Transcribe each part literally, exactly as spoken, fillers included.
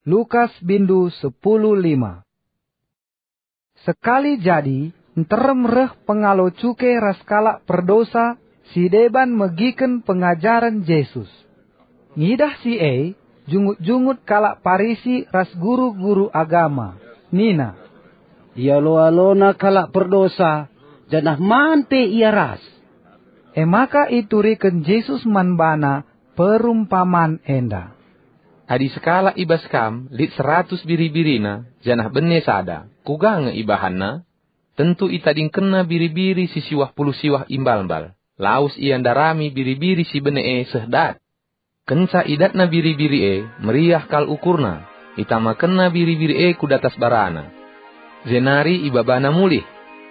Lukas bindu sepuluh lima. Sekali jadi, nterem reh pengalo cuke ras kalak perdosa si deban megiken pengajaren Jesus. Ngidah si e, jungut-jungut kalak Parisi ras guru-guru agama, nina, "Ialo-alona kalak perdosa, janah man pe ia ras." E maka ituriken Jesus man bana perumpaman enda, "Adi sekalak i bas kam lit seratus biri-birina, janah bene sada, kuga nge ibahanna? Tentu itadingkenna biri-biri si siwah puluh siwah imbalmbal, lawes ia ndarami biri-biri si bene e seh dat. Kenca idatna biri-biri e, meriah kal ukurna, itamakenna biri-biri e ku datas barana. Jenari ibabana mulih.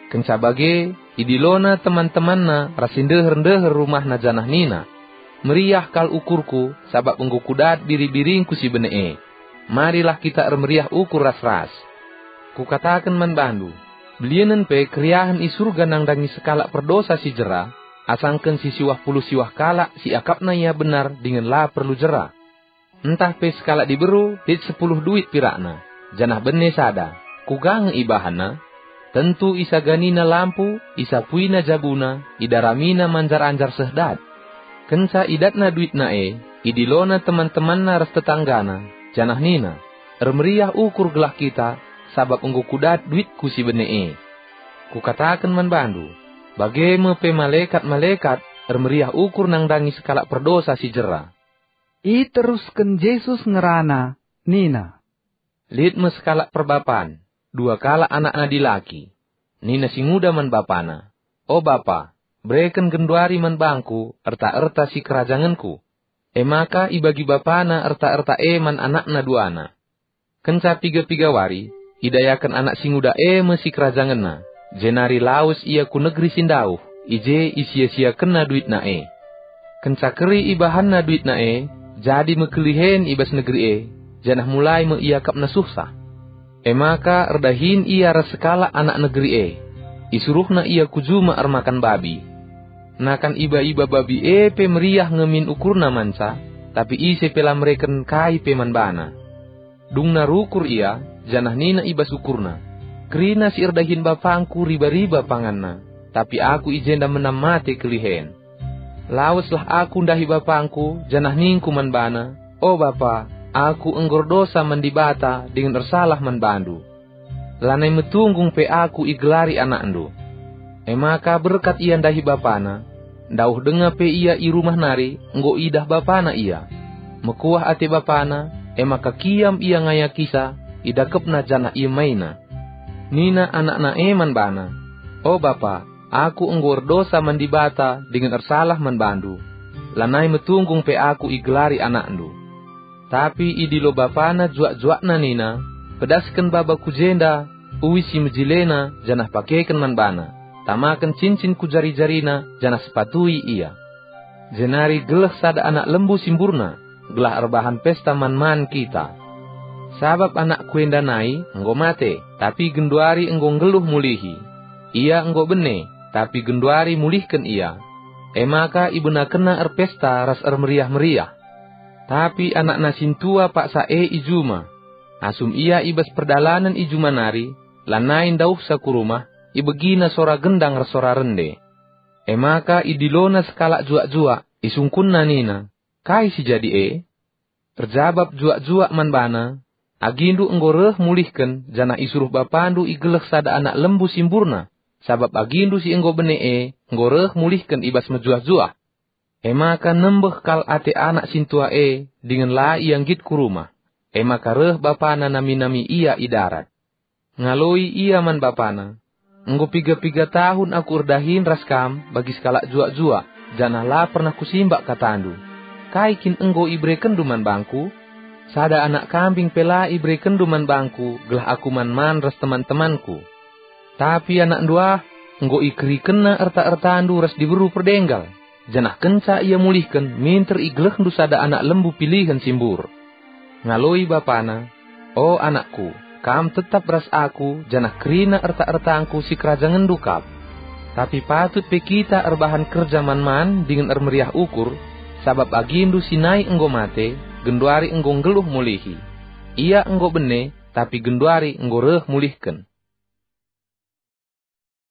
Kenca bage, idilona teman-temanna ras si ndeher-ndeher rumahna janah nina, 'Meriah kal ukurku, sabap enggo kudat biri-biringku si bene e. Marilah kita ermeriah ukur ras-ras.' Kukataken man bandu, belienen pe keriahen i Surga nandangi sekalak perdosa si jera, asangken si siwah puluh siwah kalak si akapna ia benar dingen la perlu jera. Ntah pe sekalak diberu lit sepuluh duit pirakna, janah bene sada, kuga nge ibahanna? Tentu isaganina lampu, isapuina jabuna, idaramina manjar-anjar seh dat. Kenca idatna duitna e, idilona teman-temanna ras tetanggana, janah nina, 'Ermeriah ukur gelah kita, sabap enggo kudat duitku si bene e.' Kukataken man bandu, bage me pe malekat-malekat ermeriah ukur nandangi sekalak perdosa si jera." Iterusken Jesus ngerana, nina, "Lit me sekalak perbapan, dua kalak anakna dilaki. Nina si nguda man bapana, 'O bapa, bereken genduari man bangku erta-erta si kerajangenku.' E maka ibagi bapana erta-erta e man anakna duana. Kenca piga-piga wari, idayaken anak si nguda e me si kerajangenna, jenari lawes ia ku negeri si ndauh, i je isia-siakenna duitna e. Kenca keri ibahanna duitna e, jadi me kelihen i bas negeri e, janah mulai me iakapna suhsah. E maka erdahin ia ras sekalak anak negeri e. Isuruhna ia ku juma ermakan babi. Nakan iba-iba babi e pe meriah nge min ukurna manca, tapi ise pe la mereken kai pe man bana. Dungna rukur ia, janah nina i bas ukurna, 'Kerina si erdahin bapangku riba-riba panganna, tapi aku i jenda menam mate kelihen. Laweslah aku ndahi bapangku, janah ningku man bana, "O bapa, aku enggo erdosa man Dibata dingen ersalah man bandu. Lanai metunggung pe aku igelari anakndu." E maka berkat ia ndahi bapana. Ndauh denga pe ia i rumah nari, enggo idah bapana ia. Mekuah ate bapana, e maka kiam ia ngayakisa, idakepna janah iemaina. Nina anakna e man bana, "O bapa, aku enggo erdosa man Dibata dingen ersalah man bandu. Lanai metunggung pe aku igelari anakndu." Tapi idilo bapana juak-juakna nina, "Pedasken baba ku jenda uis si mejilena janah pakeken man bana. Tamaken cincin ku jari-jarina janah sepatui ia. Jenari geleh sada anak lembu si mburna, gelah erbahan pesta man-man kita. Sabap anakku enda nai enggo mate, tapi genduari enggo nggeluh mulihi. Ia enggo bene, tapi genduari mulihken ia." E maka ibenakenna erpesta ras ermeriah-meriah. Tapi anakna sintua paksa e i juma. Asum ia i bas perdalanen i juma nari, lanai ndauhsa ku rumah, ibegina sora gendang ras sora rende. E maka idilona sekalak juak-juak, isungkunna nina, "Kai si jadi e?" Erjabap juak-juak man bana, "Agindu enggo reh mulihken, janah isuruh bapandu igeleh sada anak lembu si mburna, sabap agindu si enggo bene e enggo reh mulihken i bas mejuah-juah." E maka nembeh kal ate anak sintua e, dingen la ia nggit ku rumah. E maka reh bapana nami-nami ia i darat. Ngaloi ia man bapana, "Enggo piga-piga tahun aku erdahin ras kam bagi sekalak juak-juak, janah la pernah kusimbak katandu. Kai kin enggo iberekenndu man bangku? Sada anak kambing pe la iberekenndu man bangku gelah aku man-man ras teman-temanku. Tapi anakndu ah, enggo ikerikenna erta-ertandu ras diberu perdenggal, janah kenca ia mulihken minter igelehndu sada anak lembu pilihen si mbur." Ngaloi bapana, "O anakku, kam tetap ras aku, janah kerina erta-ertangku si kerajangenndu kap. Tapi patut pe kita erbahan kerja man-man dingen ermeriah ukur, sabap agindu si nai enggo mate, genduari enggo nggeluh mulihi." Ia enggo bene, tapi genduari enggo reh mulihken.